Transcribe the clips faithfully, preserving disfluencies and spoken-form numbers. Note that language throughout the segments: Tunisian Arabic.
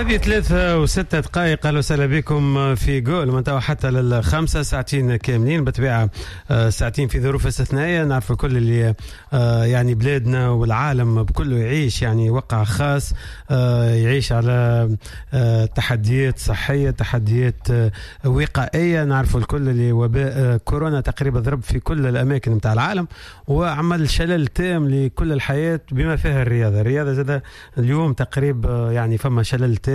وهذه ثلاثة وستة دقائق. أهلا وسهلا بكم في جول من توا حتى للخمسة، ساعتين كاملين بالطبيعة، ساعتين في ظروف استثنائية. نعرف كل اللي يعني بلادنا والعالم بكله يعيش يعني وقع خاص، يعيش على تحديات صحية، تحديات وقائية. نعرف الكل اللي وباء كورونا تقريبا ضرب في كل الأماكن متاع العالم وعمل شلل تام لكل الحياة بما فيها الرياضة. الرياضة زادة اليوم تقريبا يعني فما شلل تام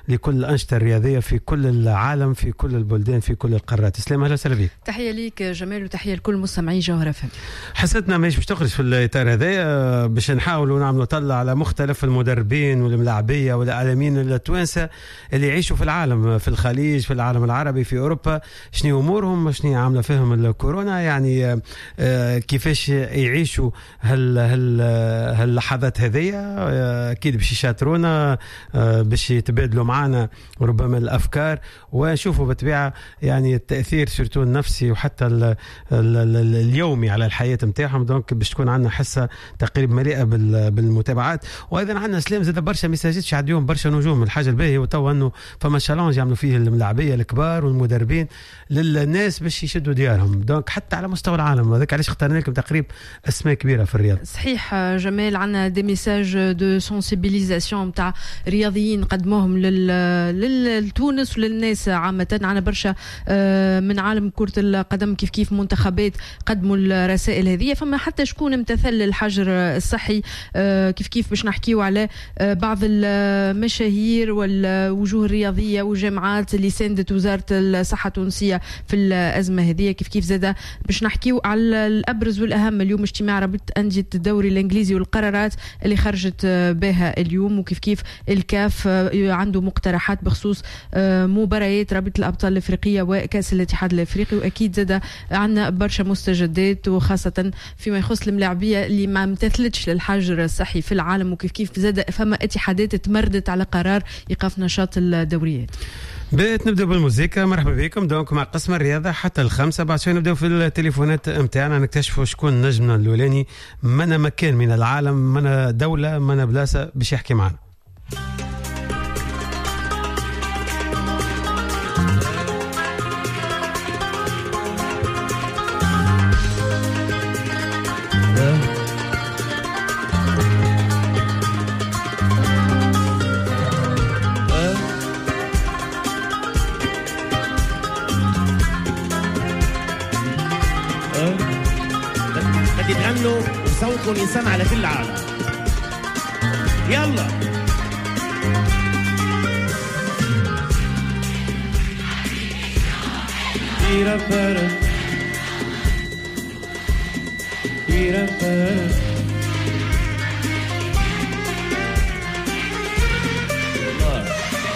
لكل الأنشطة الرياضية في كل العالم، في كل البلدان، في كل القارات. اسلام أهلا وسهلا بك. تحية ليك جمال وتحية لكل مستمعي جوهرة فم. حسيتنا ماهيش باش تخرج في الإطار هذايا، باش نحاولوا نعملوا طلة على مختلف المدربين والملاعبية والإعلاميين التوانسة اللي يعيشوا في العالم، في الخليج، في العالم العربي، في أوروبا، شنو أمورهم، شنو عاملة فيهم الكورونا، يعني كيفاش يعيشوا هال هال هاللحظات هذيا. أكيد باش يشاطرونا، باش يتبادلوا معنا ربما الافكار، ونشوفوا بالطبيعة يعني التاثير surtout النفسي وحتى ال ال ال اليومي على الحياة نتاعهم. donc باش تكون عندنا حصة تقريبا مليئة بالمتابعات. وايضا عندنا سلام زاد برشا messages يعديهم برشا نجوم. الحاجة الباهيه وتوا انه فما challenge يعملوا فيه الملاعبيه الكبار والمدربين للناس باش يشدوا ديارهم، donc حتى على مستوى العالم. هذاك علاش اخترنا لكم تقريبا اسماء كبيرة في الرياض. صحيح جمال، عندنا des messages de sensibilisation نتاع رياضيين قدموهم للتونس وللناس عامة. عندنا برشا من عالم كرة القدم كيف كيف منتخبات قدموا الرسائل هذه. فما حتى شكون امتثل للحجر الصحي كيف كيف باش نحكيو على بعض المشاهير والوجوه الرياضية والجامعات اللي ساندت وزارة الصحة التونسية في الأزمة هذه. كيف كيف زادة باش نحكيو على الأبرز والأهم اليوم اجتماع رابطة أندية الدوري الإنجليزي والقرارات اللي خرجت بها اليوم، وكيف كيف الكاف عنده مقترحات بخصوص مباريات رابطة الأبطال الأفريقية وكأس الاتحاد الأفريقي. وأكيد زاد عندنا برشا مستجدات وخاصة فيما يخص الملاعبية اللي ما امتثلتش للحجر الصحي في العالم، وكيف كيف زاد فما اتحادات تمردت على قرار إيقاف نشاط الدوريات. بيت نبدأ بالموسيقى. مرحبا بكم donc مع قسم الرياضة حتى الخمسة. بعد شوي نبدأ في التليفونات متاعنا نكتشفوا شكون نجمنا الأولاني من مكان من العالم، من دولة، من بلاصة باش يحكي معنا. بدي تغنوا وصوتكم ينسمع على كل العالم. يلا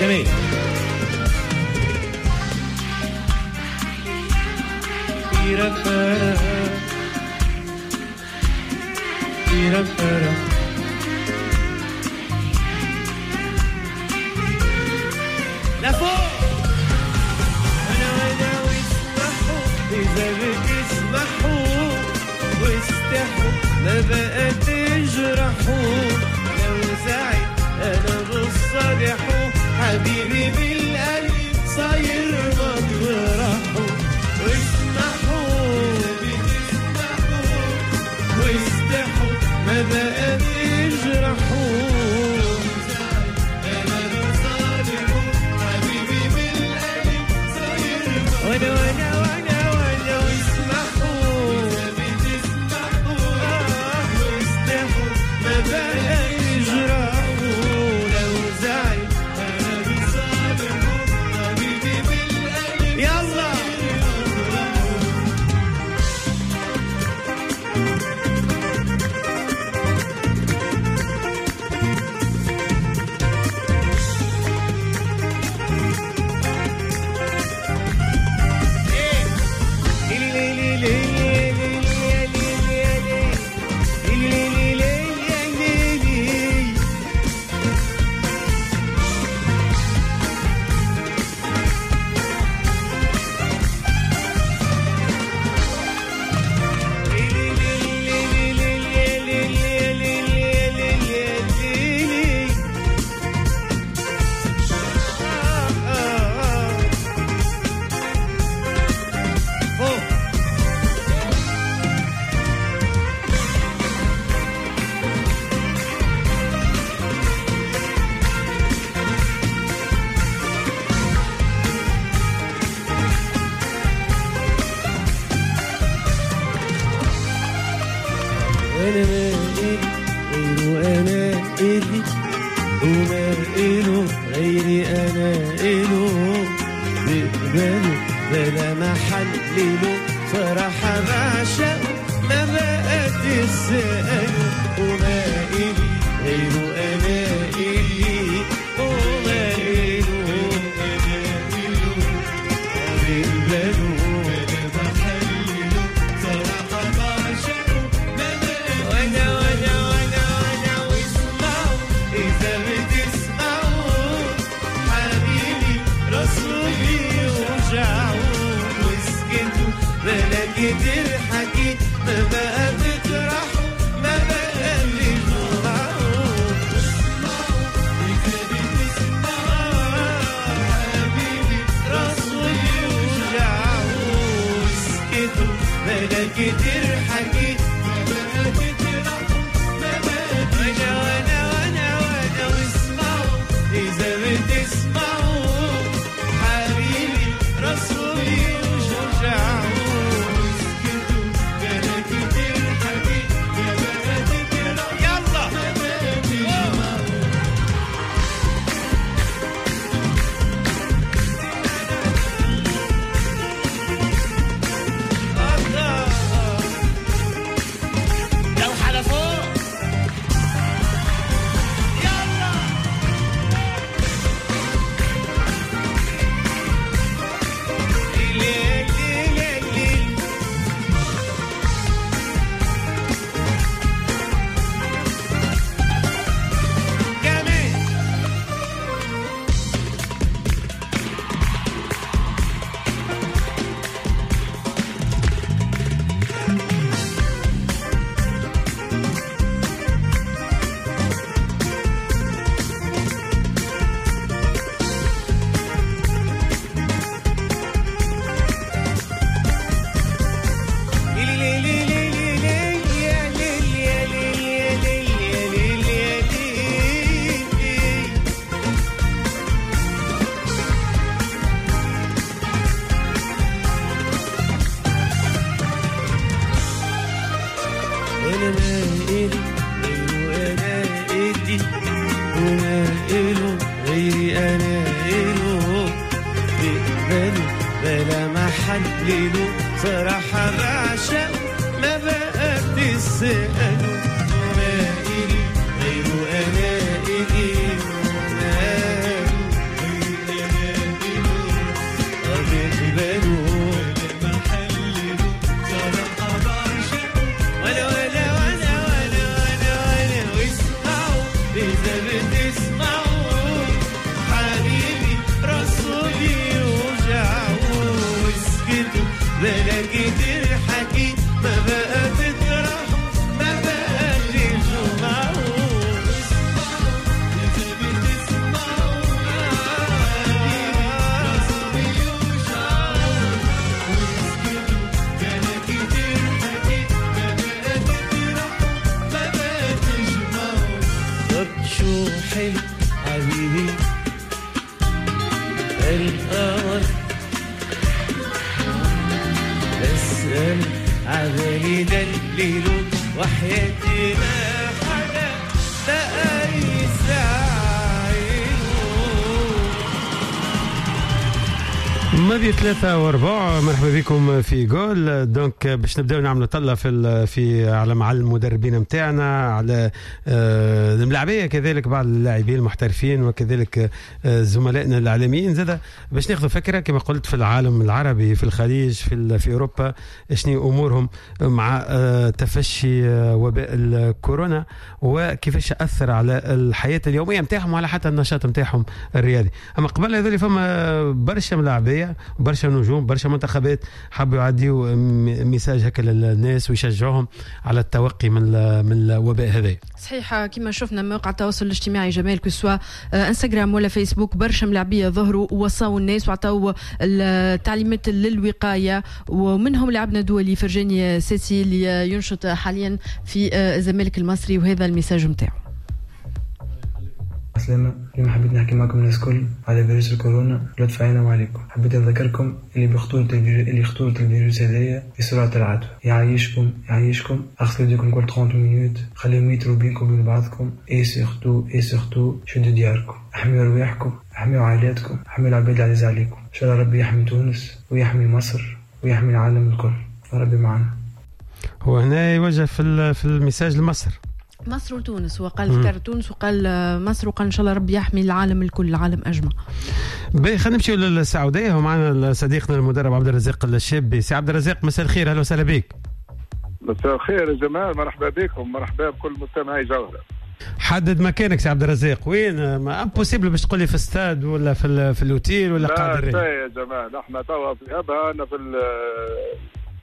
جميل. لفوق انا وانا واسمحوا اذا بتسمحوا واستحوا ما بقى تجرحوا لو زعل انا بصالحوا حبيبي بالقلب صاير مطرحوا واسمحوا بتسمحوا واستحوا ما بقى تجرحوا انا بصالحوا حبيبي بالقلب صاير وانا وانا وانا وانا واسمحوا بتسمحوا واستحوا ما بقى تجرحوا لو زعل انا بصالحوا حبيبي بالقلب. يلا انا ما إلي غيره انا إلي وما إله غيري انا إله بقبله بلا ما حلله صراحة بعشق ما بقى تسأله وما إلي غيره انا إلي وما إله انا إله بقبله بلا ما حلله صراحة بعشق ما بقى وانا وانا وانا وانا واسمعوا إذا بتسمعوا حبيبي رسولي وجعوا واسكتوا بلا كتير حكي ما بقى تطرحوا ما بقى بتجمعوا اسمعوا إذا بتسمعوا حبيبي رسولي وجعوا واسكتوا بلا كتير حكي ما بقى تطرحوا ما بقى وانا وانا وانا وانا واسمعوا إذا بتسمعوا حبيبي رسولي وجعوا اسكتوا بلا كتير حكي ما بقى تطرحوا يلا ما بقى تجمعوا. الله لو حلفوه يلا ليل ليل ليل كمان انا ما إلي غيره انا إلي وما إله غيري انا إله بقبله بلا ما حلله صراحة بعشق ما بقى بتسأله وما إلي غيره انا إلي وما إله غيري انا إله بقبله بلا ما حلله صراحة بعشق وانا وانا وانا وانا وانا وانا واسمعوا اذا بتسمعوا حبيبي رسولي وجعوا واسكتوا بلا كتير حكي ما بقى تطرحوا ما بقى تجمعوا اسمعوا اذا بتسمعوا حبيبي رسولي وجعوا واسكتوا بلا كتير حكي ما بقى تطرحوا ما بقى تجمعوا. طب شو حلو حبيبي القمر بسأل عبالي دليله وحياتي ما حدا بقى يزعله. ماضي ثلاثة وربع، مرحبا بكم في جول. donc باش نبداو نعملوا طلة في ال- في على مع المدربين نتاعنا، على آه، الملاعبية كذلك بعض اللاعبين المحترفين وكذلك آه، زملائنا الاعلاميين زاد باش ناخذ فكرة كما قلت في العالم العربي، في الخليج، في ال- في اوروبا، شنو امورهم مع آه، تفشي آه، وباء الكورونا وكيفاش اثر على الحياة اليومية نتاعهم وعلى حتى النشاط نتاعهم الرياضي. اما قبل هذول فما برشا ملاعبيه، برشا نجوم، برشا منتخبات حبوا يعديوا م- message هكا للناس ويشجعوهم على التوقي من ال- من الوباء هذا. صحيح، كما شفنا مواقع التواصل الاجتماعي جمال، que ce soit انستغرام ولا فيسبوك، برشا ملاعبيه ظهروا ووصاوا الناس وعطاو التعليمات للوقايه، ومنهم لاعبنا الدولي فرجاني ساسي اللي ينشط حاليا في الزمالك المصري، وهذا ال message نتاعو. عسلامة. اليوم حبيت نحكي معكم الناس الكل على فيروس الكورونا ولطف عينا وعليكم. حبيت نذكركم اللي بخطورة الفيروس، اللي خطورة الفيروس هذايا في سرعة العدوى. يعيشكم يعيشكم اغسلوا يديكم كل ثلاثين minutes، خليو متر بينكم وبين بعضكم، et surtout et surtout شدوا دياركم، احميوا رواحكم، احميوا عائلاتكم، احميوا العباد العزيز عليكم. ان شاء الله ربي يحمي تونس ويحمي مصر ويحمي العالم الكل، ربي معنا. هو هنا يوجه في في ال message لمصر، مصر وتونس، وقال ذكر تونس وقال مصر وقال ان شاء الله ربي يحمي العالم الكل، العالم اجمع. باهي، خلينا نمشيو للسعودية ومعنا صديقنا المدرب عبد الرزاق الشابي. سي عبد الرزاق مساء الخير، اهلا وسهلا بك. مساء الخير يا جمال، مرحبا بكم، مرحبا بكل مستمعي جوهرة. حدد مكانك سي عبد الرزاق، وين؟ ما impossible باش تقول لي في استاد ولا في في الاوتيل ولا قاعد. لا يا جمال، احنا توا في ابها، انا في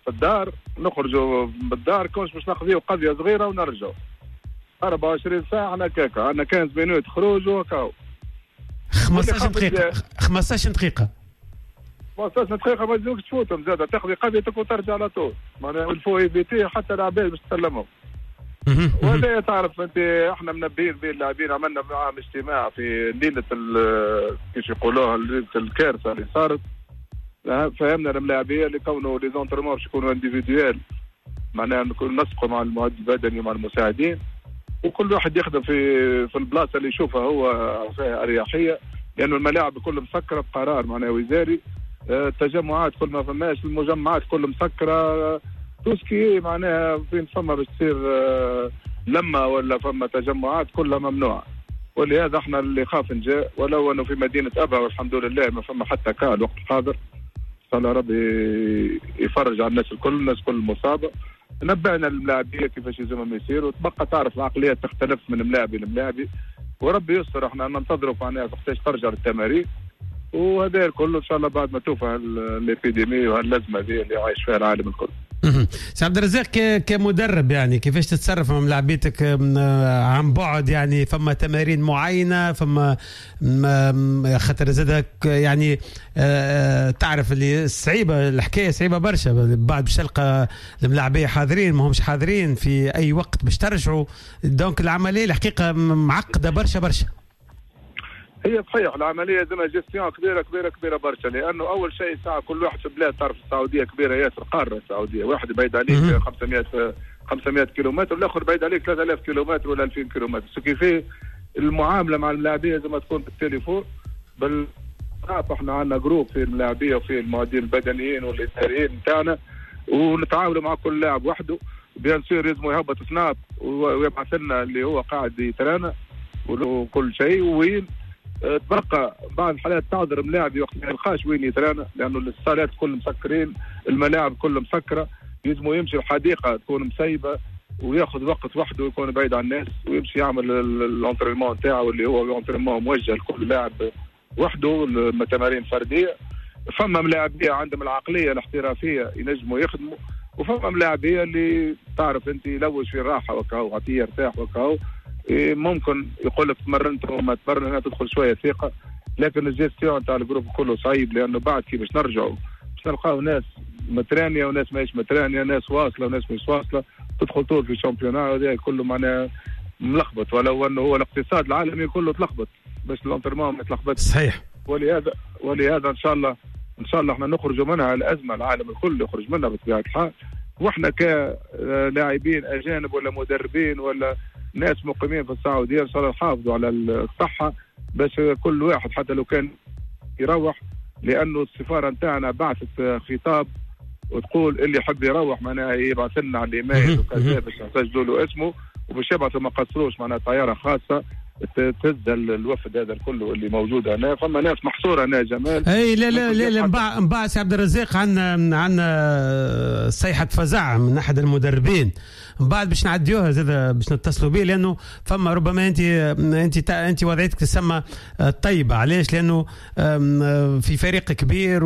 في الدار، نخرجوا بالدار كونش باش نقضيو قضية صغيرة ونرجعوا. أربعة وعشرين ساعة احنا كاكا، عندنا خمسة عشر minutes خروج وكاو. خمسطاش دقيقة، خمسطاش دقيقة، خمسطاش دقيقة ما تزيدوش تفوتهم زادة، تقضي قضيتك وترجع على طول، معناها il faut éviter حتى العباد باش تسلمهم. وهذا تعرف انت، احنا منبهين به اللاعبين، عملنا معاهم اجتماع في ليلة كيف يقولوها، ليلة الكارثة اللي صارت، فهمنا الملاعبية اللي كونوا les entraînements باش يكونوا individuels، معناها نكون نسقوا مع المعد البدني ومع المساعدين، وكل واحد يخدم في في البلاصة اللي يشوفها هو فيها اريحية، لانه الملاعب كل مسكره بقرار معناها وزاري، التجمعات كل ما فماش، المجمعات كل مسكره، tout ce qui معناها فين فما باش تصير لما ولا فما تجمعات كلها ممنوعة. ولهذا احنا اللي خاف نجا، ولو انه في مدينة ابها والحمد لله ما فما حتى cas الوقت الحاضر، ان شاء الله ربي يفرج على الناس الكل، الناس كل مصابه. نبهنا الملاعبيه كيفاش يلزمهم يصيروا، وتبقى تعرف العقلية تختلف من ملاعبي لملاعبي، وربي يستر. احنا ننتظروا معناها وقتاش ترجع للتمارين، وهذا الكل ان شاء الله بعد ما توفى l'épidémie وهالازمه هذه اللي عايش فيها العالم الكل. سي عبد الرزاق، كمدرب يعني كيفاش تتصرف مع ملاعبيتك عن بعد؟ يعني فما تمارين معينة، فما خاطر زادك يعني تعرف اللي صعيبة الحكاية، صعيبة برشا بعد باش تلقى الملاعبيه حاضرين ما همش حاضرين في اي وقت باش ترجعوا، donc العملية الحقيقة معقدة برشا برشا. هي صحيح العملية زعما gestion كبيرة كبيرة كبيرة برشا، لانه اول شيء ساعة كل واحد في بلاد، تعرف السعودية كبيرة ياسر، قارة السعودية، واحد بعيد عليك خمسمية خمسمية كيلومتر، والاخر بعيد عليك ثلاثة آلاف كيلومتر ولا ألفين كيلومتر، ce qui fait المعاملة مع الملاعبيه زي ما تكون بالتليفون بال احنا عندنا groupe في الملاعبيه وفي المعدين البدنيين والاداريين نتاعنا، ونتعاملوا مع كل لاعب وحده. bien sûr لازم يهبط سناب ويبعث لنا اللي هو قاعد يترانا وكل شيء وين. تبقى بعض الحالات تعذر ملاعب وقت ما يلقاش وين يترانا، لانه الصالات كل مسكرين، الملاعب كل مسكره، يلزمو يمشي الحديقة تكون مسيبه وياخذ وقت وحده ويكون بعيد عن الناس، ويمشي يعمل l'entraînement تاعو اللي هو l'entraînement موجه لكل لاعب وحده، تمارين فردية. فما ملاعبيه عندهم العقلية الاحترافية ينجموا يخدموا، وفما ملاعبيه اللي تعرف انت يلوج في الراحة وكاو، عطية يرتاح وكاو، ممكن يقول لك تمرنت وما تمرن، هنا تدخل شوية ثقة. لكن الجيستيون تاع ال groupe كله صعيب، لانه بعد كي باش نرجعوا باش نلقاو ناس مترانيه وناس ماهيش مترانيه، ناس واصله وناس مش واصله، تدخل طول في championnat هذا كله معناها ملخبط، ولو انه هو الاقتصاد العالمي كله تلخبط باش l'entraînement ما يتلخبطش. صحيح. ولهذا ولهذا ان شاء الله ان شاء الله احنا نخرجوا منها الازمة، العالم الكل يخرج منها بطبيعة الحال، واحنا كلاعبين اجانب ولا مدربين ولا ناس مقيمين في السعودية ان شاء الله نحافظوا على الصحة، باش كل واحد حتى لو كان يروح، لانه السفارة نتاعنا بعثت خطاب وتقول اللي يحب يروح معناها يبعث لنا على الايميل وكذا باش نسجلوا له اسمه، وباش يبعثوا ما قصروش معناها طيارة خاصة تهز الوفد هذا الكل اللي موجود هنا. فما ناس محصورة هنا جمال. اي لا لا لا لا، من بعد سي عبد الرزاق عندنا عندنا صيحة فزع من احد المدربين، من بعد باش نعديوها زاد باش نتصلوا به، لانه فما ربما انت انت انت وضعيتك تسمى طيبة. علاش؟ لانه في فريق كبير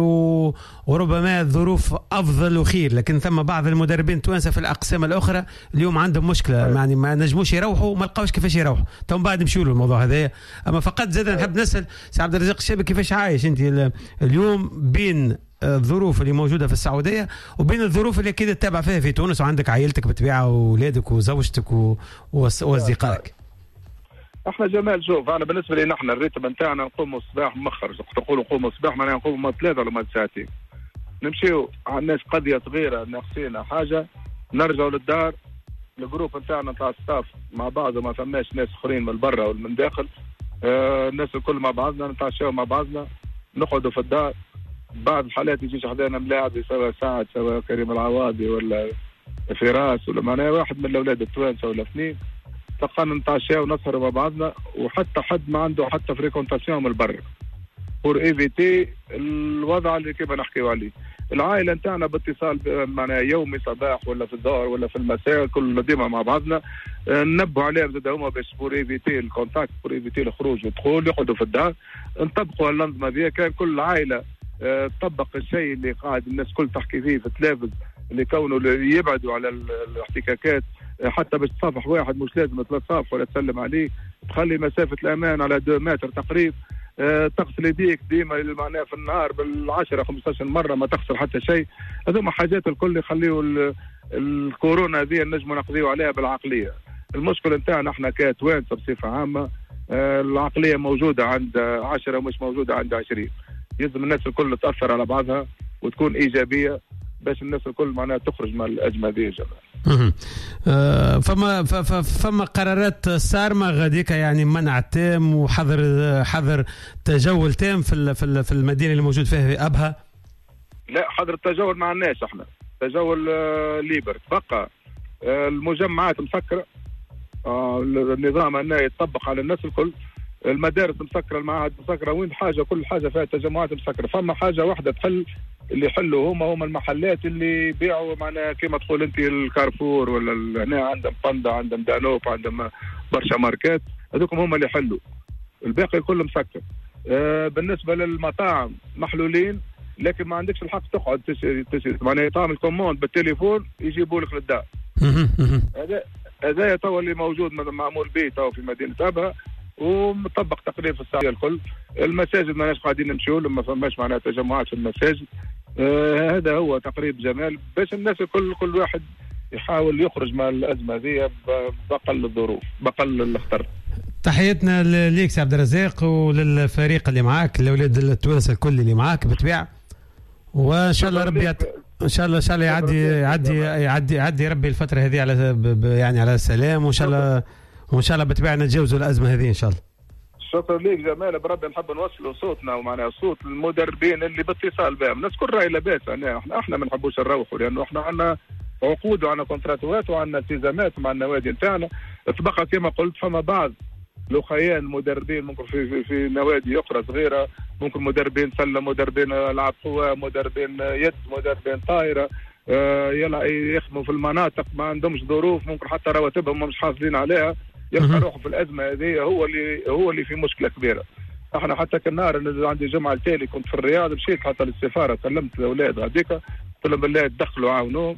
وربما الظروف افضل وخير، لكن ثم بعض المدربين التوانسة في الاقسام الاخرى اليوم عندهم مشكلة، يعني ما نجموش يروحوا، ما لقاوش كيفاش يروحوا. تو من بعد نمشيو الموضوع هذايا. اما فقط زاد نحب نسال سي عبد الرزاق الشابي، كيفاش عايش انت اليوم بين الظروف اللي موجودة في السعودية وبين الظروف اللي اكيد تتابع فيها في تونس، وعندك عائلتك بالطبيعة واولادك وزوجتك واصدقائك؟ احنا جمال شوف، انا بالنسبة لي نحن ال rythme نتاعنا نقوموا الصباح مخر، تقولوا نقوموا الصباح معناها نقوموا ثلاثة ولا ساعتين، نمشيو عندناش قضية صغيرة ناقصينا حاجة، نرجعوا للدار، ال groupe نتاعنا نتاع staff مع بعض، وما فماش ناس اخرين من برا ولا من داخل، آه الناس الكل مع بعضنا، نتعشاو مع بعضنا، نقعدوا في الدار. بعض الحالات يجيش حدانا ملاعب، سواء سعد سواء كريم العواضي ولا فراس ولا معناها واحد من الاولاد التوانسة ولا اثنين، تلقانا نتعشاو ونسهروا مع بعضنا، وحتى حد ما عنده حتى fréquentation من برا pour éviter الوضع اللي كيما نحكيو عليه. العائلة نتاعنا باتصال معناها يومي، صباح ولا في الظهر ولا في المساء، كل ديما مع بعضنا، ننبهوا عليهم زاد هما باش pour éviter ال contact، pour éviter الخروج والدخول، يقعدوا في الدار. نطبقوا الانظمة هذه، كان كل عائلة تطبق الشيء اللي قاعد الناس كل تحكي فيه في التلفز، اللي كونوا يبعدوا على الاحتكاكات، حتى باش تصافح واحد مش لازم تصافح ولا تسلم عليه، تخلي مسافة الامان على اثنين متر تقريبا، أه تغسل يديك ديما معناها في النهار بالعشرة خمسطاش مرة، ما تخسر حتى شيء. هذوما حاجات الكل يخليوا الكورونا هذه نجموا نقضيو عليها بالعقليه. المشكل نتاعنا احنا كتوانسه بصفة عامة، أه العقلية موجودة عند عشرة ومش موجودة عند عشرين. يلزم الناس الكل تاثر على بعضها وتكون ايجابية باش الناس الكل معناها تخرج من الازمة هذه يا جماعة. فما فما قرارات صارمة غاديك، يعني منع تام وحظر حظر تجول تام في في المدينة اللي موجود فيها في ابها. لا، حظر التجول ما عندناش احنا، تجول libre. تبقى المجمعات مسكره، النظام هنا يتطبق على الناس الكل، المدارس مسكره، المعاهد مسكره، وين حاجة كل حاجة فيها تجمعات مسكره. فما حاجة واحدة تحل اللي يحلوا هما هما المحلات اللي يبيعوا معناها كيما تقول انت الكارفور ولا هنا عندهم باندا، عندهم دانوب، عندهم برشا ماركات، هذوكم هما اللي يحلوا، الباقي كله مسكر. آه بالنسبة للمطاعم محلولين، لكن ما عندكش الحق تقعد تشري تشري معناها تعمل commande بالتليفون يجيبوا لك للدار. هذا هذا تو اللي موجود معمول به تو في مدينة ابها، ومطبق تقريبا في السعودية الكل. المساجد ماناش قاعدين نمشيو، ما فماش معناها تجمعات في المساجد. آه هذا هو تقريب جمال باش الناس الكل كل واحد يحاول يخرج من الازمة هذه باقل الظروف، باقل الخطر. تحياتنا ليك سي عبد الرزاق وللفريق اللي معاك، الاولاد التوانسة الكل اللي معاك بالطبيعة، وان شاء الله ربي يعت... ان شاء الله ان شاء الله يعدي يعدي يعدي يعدي ربي الفترة هذه على يعني على سلام، وان شاء الله وان شاء الله بالطبيعة نتجاوزوا الازمة هذه ان شاء الله. شكرا ليك جمال، بربي نحب نوصلوا صوتنا ومعناها صوت المدربين اللي باتصال بهم، الناس كل راهي لاباس، يعني احنا احنا ما نحبوش نروحوا لانه احنا عندنا عقود وعندنا كونتراتوات وعندنا التزامات مع النوادي نتاعنا. تبقى كما قلت فما بعض لخيان مدربين ممكن في في, في نوادي اخرى صغيرة، ممكن مدربين سله، مدربين العاب قوى، مدربين يد، مدربين طائره، آه يخدموا في المناطق ما عندهمش ظروف، ممكن حتى رواتبهم مش حاصلين عليها، يلقى روحه في الازمة هذه، هو اللي هو اللي في مشكلة كبيرة. احنا حتى كالنهار عندي جمعه التالي كنت في الرياض، مشيت حتى للسفاره، كلمت الاولاد هذيك، قلت لهم بالله تدخلوا عاونوهم.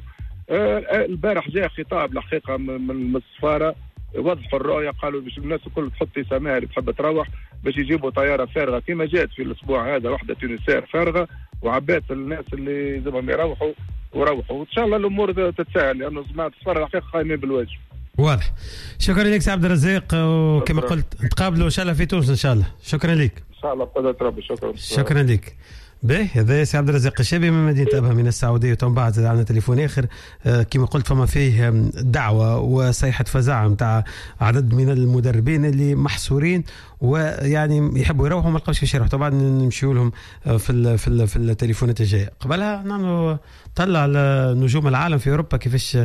آه البارح جاء خطاب الحقيقة من السفارة، وضحوا الرؤية، قالوا باش الناس الكل تحط اساميها اللي تحب تروح باش يجيبوا طيارة فارغة كما جات في الاسبوع هذا، واحدة Tunisair فارغة وعبات الناس اللي لازمهم يروحوا وروحوا، وان شاء الله الامور تتسهل لانه جماعة السفارة الحقيقة قايمين بالواجب. واضح. شكرا لك سي عبد الرزاق، وكما قلت نتقابلوا ان شاء الله في تونس ان شاء الله. شكرا لك. ان شاء الله بقدرة ربي. شكرا. شكرا لك. باهي، هذا سي عبد الرزاق الشابي من مدينة أبها من السعودية. ومن بعد عندنا تليفون آخر، آه كما قلت فما فيه دعوة وصيحة فزع نتاع عدد من المدربين اللي محصورين ويعني يحبوا يروحوا ما لقاوش كيفاش يروحوا. طبعا نمشيو لهم في ال في ال في التليفونات الجاية. قبلها نعملوا طلع على نجوم العالم في أوروبا كيفاش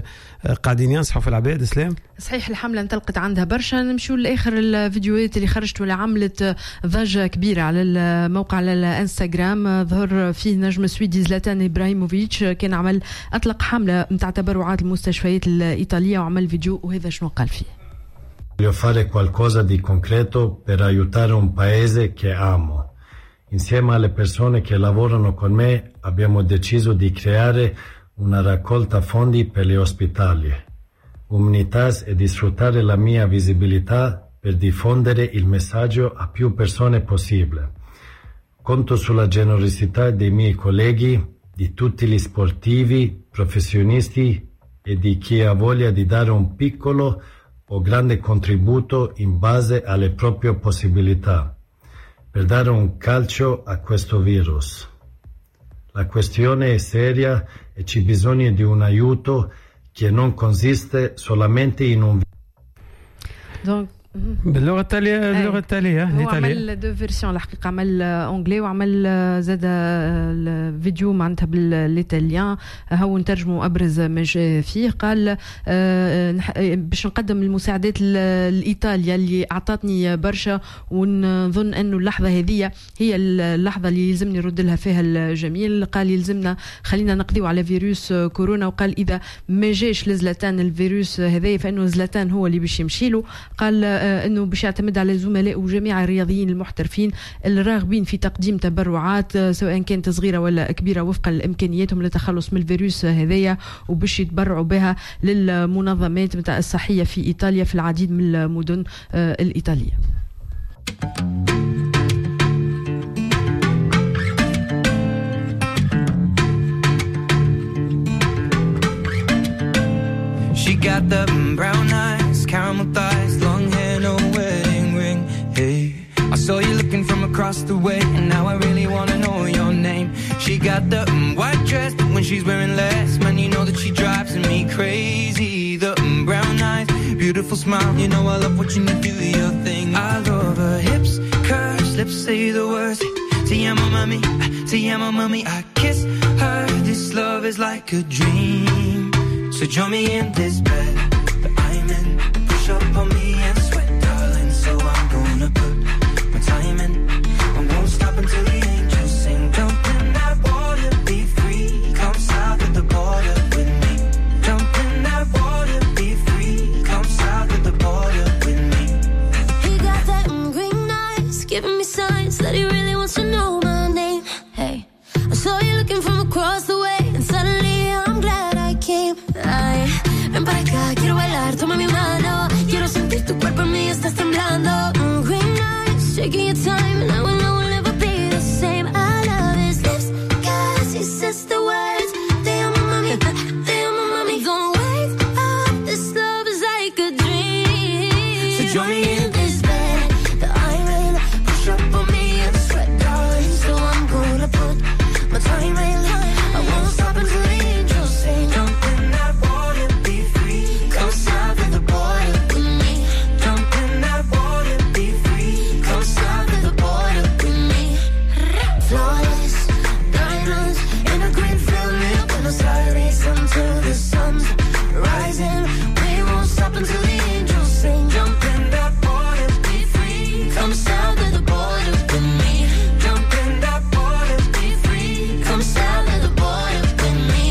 قاعدين ينصحوا في العباد. اسلام صحيح الحملة انطلقت عندها برشا. نمشيو لآخر الفيديوهات اللي خرجت ولا عملت ضجة كبيرة على الموقع على الانستغرام. ظهر فيه نجم سويدي زلاتان إبراهيموفيتش، كان عمل أطلق حملة متاع تبرعات المستشفيات الإيطالية وعمل فيديو، وهذا شنو قال فيه. Voglio fare qualcosa di concreto per aiutare un paese che amo. Insieme alle persone che lavorano con me abbiamo deciso di creare una raccolta fondi per gli ospedali, Humanitas, e di sfruttare la mia visibilità per diffondere il messaggio a più persone possibile. Conto sulla generosità dei miei colleghi, di tutti gli sportivi, professionisti e di chi ha voglia di dare un piccolo o grande contributo in base alle proprie possibilità per dare un calcio a questo virus. La questione è seria e c'è bisogno di un aiuto che non consiste solamente in un. Donc, باللغة التالية، اللغة التالية. هو عمل deux versions الحقيقه، عمل anglais وعمل زاد الفيديو معناتها بال italien. هو نترجموا ابرز ما جاء فيه. قال باش نقدم المساعدات لايطاليا اللي اعطتني برشا، ونظن انه اللحظة هذه هي اللحظة اللي يلزمني نرد لها فيها الجميل. قال يلزمنا خلينا نقضيو على فيروس كورونا، وقال اذا ما جاش لزلاتان الفيروس هذا فانه زلاتان هو اللي باش يمشي له. قال انه باش يعتمد على زملائه وجميع الرياضيين المحترفين الراغبين في تقديم تبرعات سواء كانت صغيرة ولا كبيرة وفقا لامكانياتهم للتخلص من الفيروس هذايا، وباش يتبرعوا بها للمنظمات نتاع الصحية في ايطاليا في العديد من المدن الايطالية. She got the brown eyes, caramel thighs, long hair, no wedding ring. Hey, I saw you looking from across the way, and now I really wanna know your name. She got the white dress, but when she's wearing less, man, you know that she drives me crazy. The brown eyes, beautiful smile, you know I love watching you do your thing. I love her hips, curves, lips say the words. Te amo, mami, te amo, mami. I kiss her. This love is like a dream. So join me in this bed that I'm in. Push up on me and sweat, darling. So I'm gonna put my time in. I won't stop until the angels sing. Jump in that water, be free. Come south of the border with me. Jump in that water, be free. Come south of the border with me. He got that green eyes, giving me signs that he really wants to know my name. Hey, I saw you looking from across the way, and suddenly I'm glad I came. Ay, ven para acá, quiero bailar, toma mi mano. Quiero sentir tu cuerpo en mí, estás temblando. Mm, green eyes, taking your time, and I will know we'll never be the same. I love his lips, cause he says the words. Te amo, mami, te amo, mami. Don't wake up, this love is like a dream. So join me in this bed that I'm in. Push up on me and sweat, darling. So I'm gonna put my time in. I won't stop until the angels sing. Jump in that water, be free. Come south of the border with me. Jump in that water, be free. Come south of the border with me. Flawless diamonds in a green field near Buenos Aires until the sun's rising. We won't stop until the angels sing. Jump in that water, be free. Come south of the border with me. Jump in that water, be free. Come south of the border with me.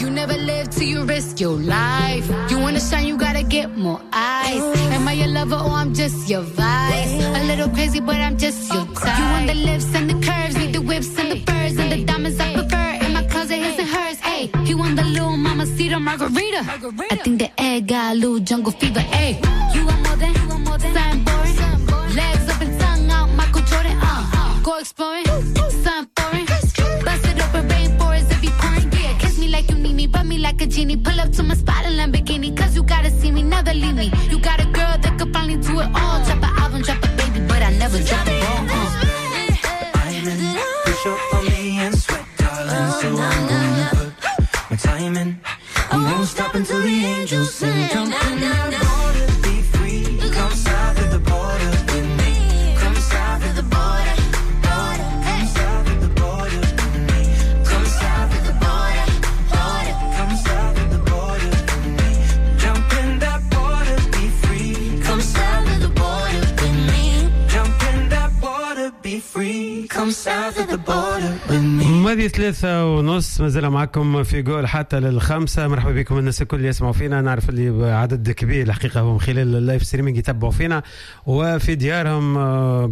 You never live till you risk your life. You wanna shine, you gotta get more eyes. Am I your lover or I'm just your vice? A little crazy, but I'm just your type. You want the lips and the curves, need the whips and the furs and the diamonds I prefer. In my closet, his and hers. Ay, he want the little mama cedar margarita. I think the egg got a little jungle fever. Ay, you want more than something boring. Legs up and tongue out, Michael Jordan. Uh, go exploring, something foreign. Bust it open, rainforest if you pouring. Yeah, kiss me like you need me, rub me like a genie. Pull up to my spot in Lamborghini, cause you gotta see me, never leave me. You got a girl that could finally do it all. Drop an album, drop a baby, but I never drop a ball. Uh. I'm in. Push up on me and sweat, darling. So I'm gonna put my time in. I won't stop until the angels sing. Jump in that water, be free. Come south of the border with me. Come south of the border, border. Come south of the border with me. Come south of the border, border. Come south of the border with me. Jump in that water, be free. Come south of the border with me. Jump in that water, be free. Come south of the border with me. ماضي ثلاثة ونص، مازال معكم في جول حتى للخمسة. مرحبا بكم الناس الكل اللي يسمعوا فينا، نعرف اللي عدد كبير الحقيقة هم خلال ال live streaming يتبعوا فينا وفي ديارهم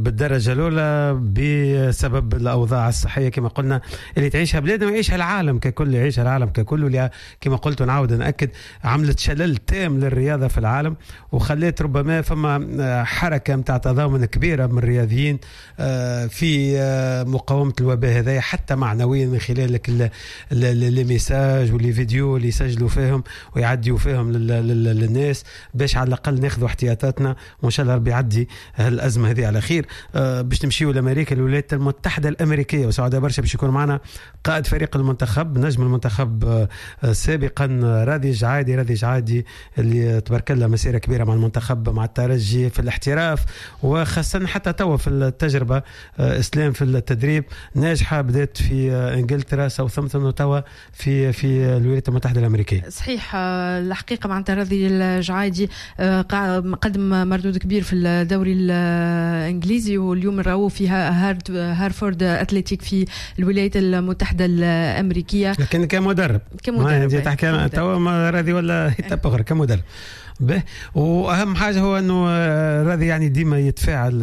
بالدرجة الأولى بسبب الأوضاع الصحية كما قلنا اللي تعيشها بلادنا ويعيشها العالم ككل، يعيشها العالم ككل، واللي كما قلت ونعاود نأكد عملت شلل تام للرياضة في العالم وخلت ربما فما حركة متاع تضامن كبيرة من الرياضيين في مقاومة الوباء هذا حتى معنويا. معنويا من خلال les messages و les vidéos اللي يسجلوا فيهم ويعديوا فيهم للناس باش على الاقل ناخذوا احتياطاتنا، وان شاء الله ربي يعدي هالازمه هذه على خير. باش نمشيو لامريكا، الولايات المتحدة الامريكيه، وسعداء برشا باش يكون معنا قائد فريق المنتخب، نجم المنتخب سابقا، راضي الجعايدي. راضي الجعايدي اللي تبارك الله مسيره كبيرة مع المنتخب، مع الترجي، في الاحتراف، وخاصة حتى توا في التجربة اسلام في التدريب ناجحه، بدات في انجلترا، ساوثامبتون، وتوا في في الولايات المتحدة الامريكيه. صحيح، الحقيقة معناتها راضي الجعايدي قدم مردود كبير في الدوري الانجليزي، واليوم نراوه في هارفورد اتلتيك في الولايات المتحدة الامريكيه، لكن كمدرب كمدرب تحكي توا راضي ولا اخرى كمدرب به. واهم حاجة هو انه راضي يعني ديما يتفاعل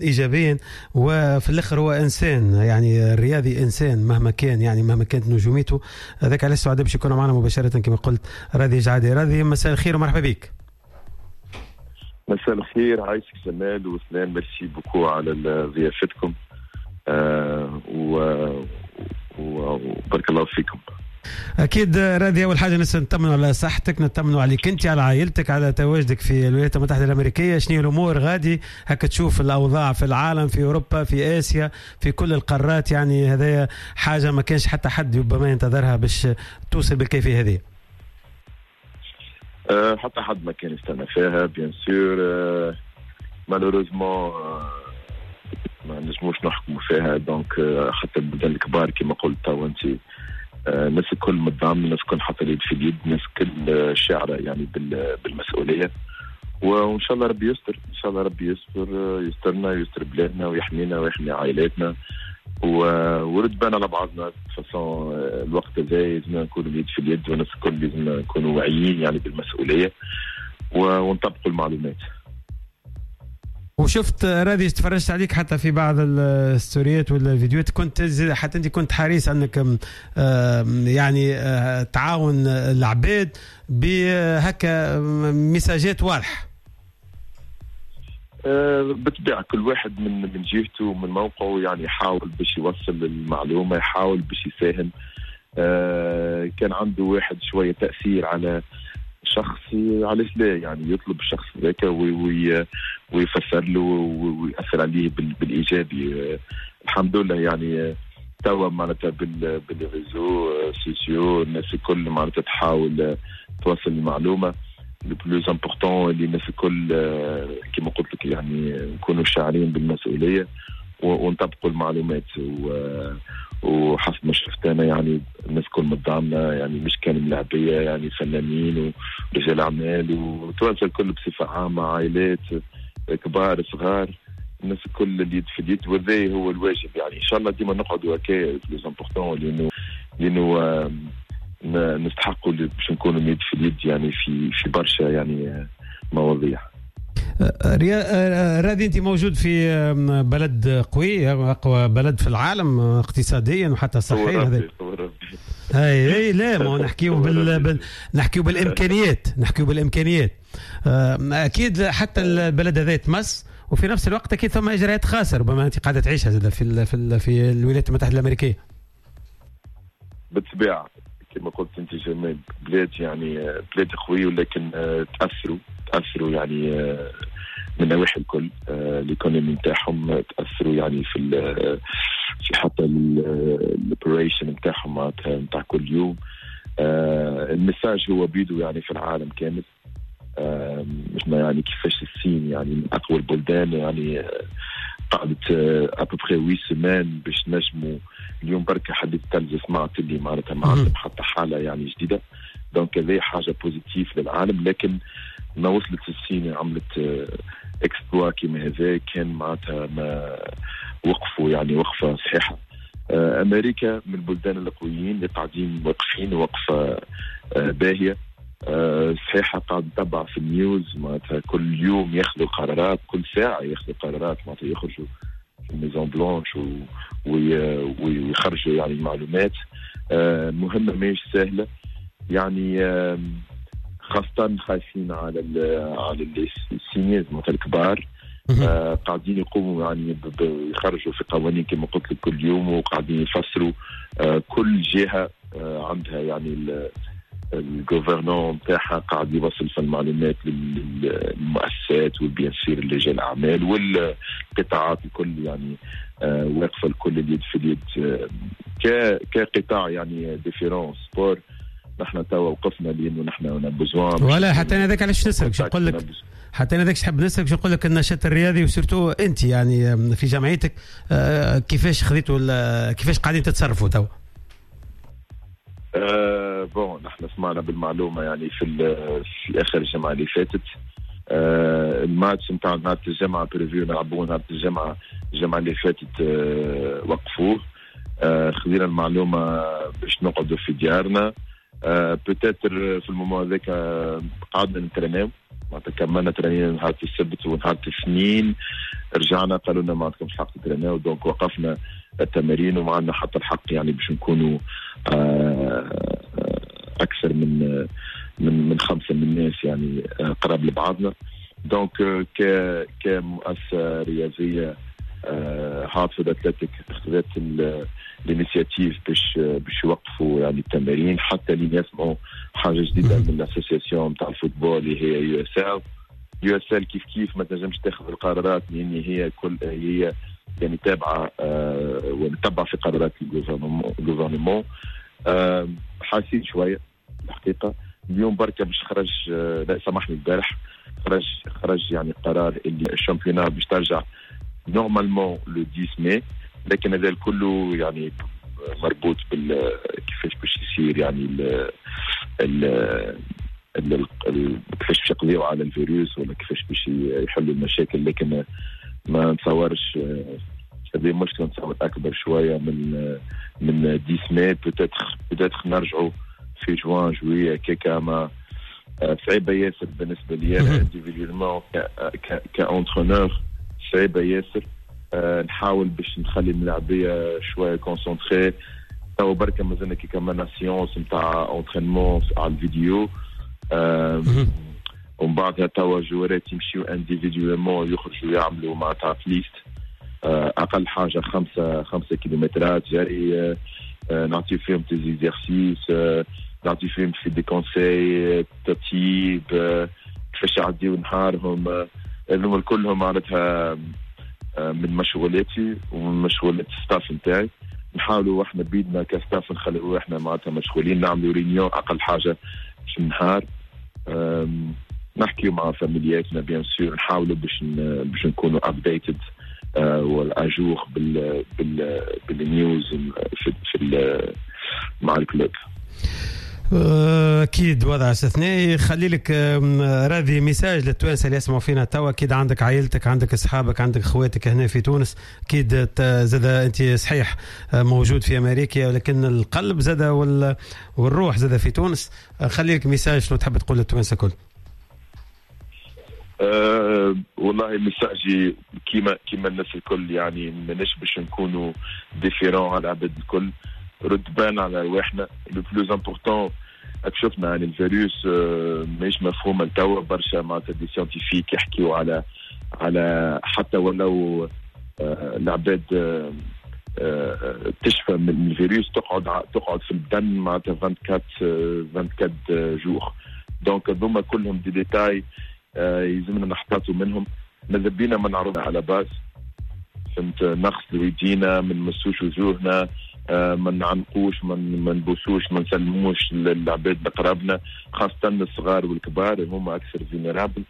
ايجابيا، وفي الاخر هو انسان، يعني الرياضي انسان مهما كان، يعني مهما كانت نجوميته. هذاك علاش سعداء باش يكون معنا مباشرة كما قلت راضي جعادي. راضي مساء الخير ومرحبا بك. مساء الخير، عايشك جمال وسلام، merci beaucoup على ضيافتكم آه وبارك الله فيكم. اكيد راضي، اول حاجة نطمنوا على صحتك، نطمنوا عليك انت، على عائلتك، على تواجدك في الولايات المتحدة الامريكيه. شنو الامور غادي؟ هكا تشوف الاوضاع في العالم، في اوروبا، في اسيا، في كل القارات، يعني هذايا حاجة ما كانش حتى حد ربما ينتظرها باش توصل بالكيفية هذه. أه حتى حد ما كان يستنى فيها، bien sûr. malheureusement ما نجموش نحكموا فيها، donc حتى البلدان الكبار كما قلت تو انت، الناس الكل متضامنه، الناس الكل حاطه اليد في اليد، الناس الكل شاعره يعني بالمسؤولية، وان شاء الله ربي يستر، ان شاء الله ربي يستر، يسترنا، يستر بلادنا ويحمينا ويحمي عائلاتنا، ورد بالنا على بعضنا. façon الوقت هذا لازم نكونوا اليد في اليد، والناس الكل لازم نكونوا واعيين يعني بالمسؤولية ونطبقوا المعلومات. وشفت راضي، تفرجت عليك حتى في بعض الستوريات والفيديوهات، كنت حتى انت كنت حريص انك يعني تعاون العباد بهكا ميساجات واضحة. بالطبيعة كل واحد من من جهته ومن موقعه يعني يحاول باش يوصل المعلومة، يحاول باش يساهم. كان عنده واحد شوية تاثير على شخص، علاش لا يعني يطلب الشخص ذاك وي ويفسر له ويأثر عليه بالايجابي. الحمد لله يعني توا معناتها بال réseaux sociaux الناس الكل معناتها تحاول توصل المعلومة. le plus important اللي الناس الكل كما قلت لك يعني نكونوا شاعرين بالمسؤولية ونطبقوا المعلومات، وحسب ما شفت انا يعني الناس الكل متضامنه، يعني مش كان ملاعبيه، يعني فنانين ورجال اعمال وتوانسه الكل بصفة عامة، عائلات كبار صغار، الناس الكل اليد في اليد، وهذا هو الواجب. يعني ان شاء الله ديما نقعدوا هكا plus important، لانه لانه نستحقوا باش نكونوا اليد في اليد يعني في في برشا يعني مواضيع. راضي، انت موجود في بلد قوي، اقوى بلد في العالم اقتصاديا وحتى صحيا. هذا اي اي لا ما نحكيو بال... بال... نحكيو بالامكانيات، نحكيو بالامكانيات. اكيد حتى البلد هذا يتمس، وفي نفس الوقت اكيد ثم اجراءات خاصة ربما انت قاعدة تعيشها زاد في ال... في ال... في الولايات المتحدة الامريكيه. بالطبيعة كما قلت انت جمال، بلاد يعني بلاد قوية، ولكن تاثروا تاثروا يعني من نواحي الكل، l'économie نتاعهم تاثروا يعني في في حتى ال operation نتاعهم معناتها نتاع كل يوم. ال message هو بيدو يعني في العالم كامل، مش ما يعني كيفاش الصين يعني من اقوى البلدان يعني قعدت à peu près huit semaines باش نجموا. اليوم بركة حديث التلفزة سمعت اللي معناتها ما عندهم حتى حاله يعني جديدة، donc هذه حاجة positive للعالم. لكن ما وصلت الصين عملت exploit كيما هذا، كان معناتها ما وقفوا يعني وقفه صحيحه. امريكا من البلدان القويين اللي قاعدين واقفين وقفه باهيه صحيحه، قاعد نتبع في ال news معناتها كل يوم ياخذوا قرارات، كل ساعة ياخذوا قرارات، معناتها يخرجوا في ال Maison Blanche ويخرجوا يعني معلومات مهمة ماهيش سهلة يعني، خاصة خايفين على ال على ال seniors معناتها الكبار. آه قاعدين يقوموا يعني يخرجوا في قوانين كما قلت لك كل يوم، وقاعدين يفسروا. آه كل جهة آه عندها يعني ال gouverneur نتاعها قاعد يوصل في المعلومات للمؤسسات و bien sûr لرجال الاعمال والقطاعات الكل، يعني آه واقفة الكل اليد في اليد. آه كقطاع يعني différent sport نحن توا وقفنا لانه نحن on a besoin. ولا حتى انا ذاك علاش نسالك، شو نقول لك، حتى انا ذاك حاب نسالك، شو نقول لك النشاط الرياضي و surtout انت يعني في جمعيتك آه كيفاش خذيتوا، كيفاش قاعدين تتصرفوا توا؟ أه bon نحن سمعنا بالمعلومه يعني في في اخر الجمعة اللي فاتت. أه الماتش نتاع نهار الجمعة prévu نلعبوه نهار الجمعة، الجمعة اللي فاتت أه وقفوه. أه خذينا المعلومة باش نقعدوا في ديارنا. أه peut-être في ال moment هذاك قعدنا نتريناو، معناتها كملنا ترينينا نهار السبت ونهار الاثنين رجعنا قالوا لنا ما عندكمش حق تتريناو، donc وقفنا التمارين وما عندنا حتى الحق يعني باش نكونوا اكثر من من من خمسة من الناس يعني قراب لبعضنا. donc ك كمؤسسة رياضية هارتفورد اتلتيك خذت l'initiative باش باش يوقفوا يعني التمارين حتى لين يسمعوا حاجة جديدة من l'association نتاع ال football اللي هي يو اس ال. يو اس ال كيف كيف ما تنجمش تاخذ القرارات لان هي كل هي يعني تابعه آه وتتبع في قرارات ال gouvernement. آه حاسين شوية الحقيقة. اليوم بركة باش خرج، آه لا سامحني البارح خرج خرج يعني قرار اللي ال championnat باش ترجع normalement le عشرة ماي، لكن هذا كله يعني مربوط بال كيفاش باش يصير يعني ال ال ال كيفاش باش يقضيو على الفيروس ولا كيفاش باش يحلوا المشاكل. لكن ما نتصورش هذه مشكلة، نتصور اكبر شوية من من عشرة ماي، peut-être peut-être نرجعوا في جوان juillet كيكا. ما صعيبة ياسر بالنسبة لي انا individuellement ك entraîneur، صعيبة ياسر. أه نحاول باش نخلي الملاعبيه شوية concentrés. تو بركة مازلنا كي كملنا séance نتاع entraînement على الفيديو، أه ومن بعدها توا جوارات يمشيو individuellement يخرجوا يعملوا معناتها at least أه اقل حاجة خمسة خمسة كيلومترات جري. أه نعطي فيهم des exercices، أه نعطي فيهم في des conseils تطيب، أه كيفاش يعديو نهارهم. هذوما كلهم معناتها من مشغولاتي ومن مشغولات ال staff نتاعي. نحاولوا احنا بيدنا ك staff نخليو احنا معناتها مشغولين، نعملوا réunion اقل حاجة في النهار، نحكيو مع فاميلياتنا bien sûr، نحاولوا باش باش نكونوا updated ولا à jour بال بال بال news في, في مع ال club. اكيد وضع استثنائي. خلي لك راضي message للتوانسه اللي يسمعوا فينا توا. اكيد عندك عائلتك، عندك اصحابك، عندك اخواتك هنا في تونس، اكيد زاد انت صحيح موجود في امريكا ولكن القلب زاد والروح زاد في تونس. خلي لك message شنو تحب تقول للتوانسه كل؟ أه والله message ي كيما كيما الناس الكل، يعني ماناش باش نكونوا différents على العباد الكل. رد بالنا على رواحنا، le plus important شفنا يعني الفيروس ماهيش مفهومه لتوا برشا، معناتها des scientifiques يحكيو على على حتى ولو العباد تشفى من الفيروس تقعد تقعد في البدن معناتها أربعة وعشرين jours. donc هذوما كلهم des détails يلزمنا نحتاطوا منهم. ماذا بينا ما نعرضنا على باس، فهمت، نغسلوا يدينا، ما نمسوش وجوهنا، ما نعنقوش، ما نبوسوش، ما نسلموش للعباد اللي قرابنا، خاصة الصغار والكبار هما أكثر vulnérables.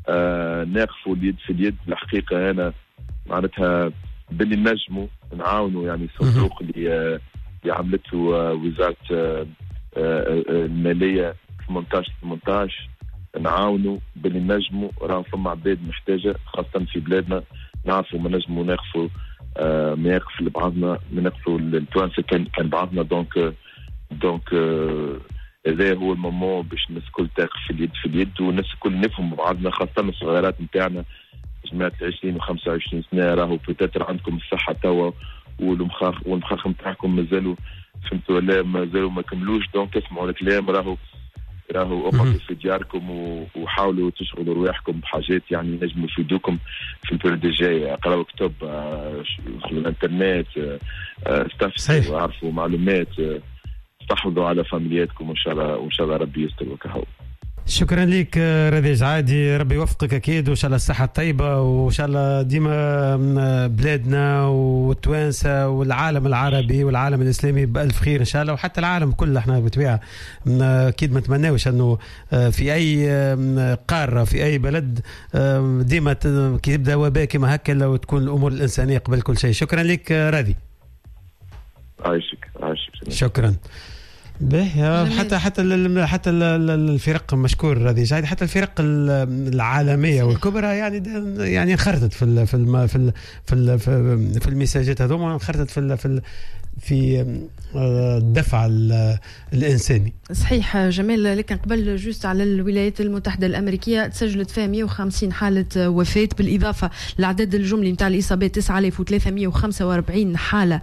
آه ناقفوا اليد في اليد. الحقيقة أنا معناتها باللي نجموا نعاونوا يعني الصندوق اللي اللي عملته وزارة المالية ثمانية عشر ثمانية عشر، نعاونوا باللي نجموا. راه فما عباد محتاجة خاصة في بلادنا، نعرفوا ما نجموا ناقفوا آه ما يقف لبعضنا، ما نقفوا التوانسة كان كان بعضنا. donc donc هذا هو ال moment باش الناس الكل تاقف في اليد في اليد، والناس الكل نفهموا بعضنا، خاصة الصغيرات نتاعنا جماعة عشرين وخمسة وعشرين سنة، راهو peut-être عندكم الصحة توا والمخاخ والمخاخ نتاعكم مازالوا، فهمتوا ولا مازالوا ما كملوش. donc اسمعوا الكلام، راهو راهو اقعدوا في دياركم وحاولوا تشغلوا رواحكم بحاجات يعني ينجموا يفيدوكم في ال période الجاية. اقراوا كتب، دخلوا الانترنت، استفسروا، عرفوا معلومات، استحوذوا على فاميلياتكم، وان شاء الله وان شاء الله ربي يستر وكهو. شكرا لك رضي جعادي، ربي يوفقك اكيد، وان شاء الله الصحة الطيبة، وان شاء الله ديما بلادنا والتوانسه والعالم العربي والعالم الاسلامي بالف خير ان شاء الله، وحتى العالم كله. احنا بالطبيعة اكيد ما نتمناوش انه في اي قارة في اي بلد ديما كي يبدا وباء كما هكا لو تكون الامور الانسانية قبل كل شيء. شكرا لك راضي. عايشك عايشك. شكرا. به حتى حتى حتى الفرق مشكور راضي جاي، حتى الفرق العالمية والكبرى يعني يعني انخرطت في ال في ال في ال في, ال في, في المساجات هذوما، انخرطت في ال في ال في الدفع الإنساني. صحيح جمال، لكن قبل juste على الولايات المتحدة الأمريكية تسجلت فيها مئة وخمسين حالة وفاة، بالإضافة للعدد الجملي نتاع الإصابات تسعة آلاف وثلاثمئة وخمسة وأربعين حالة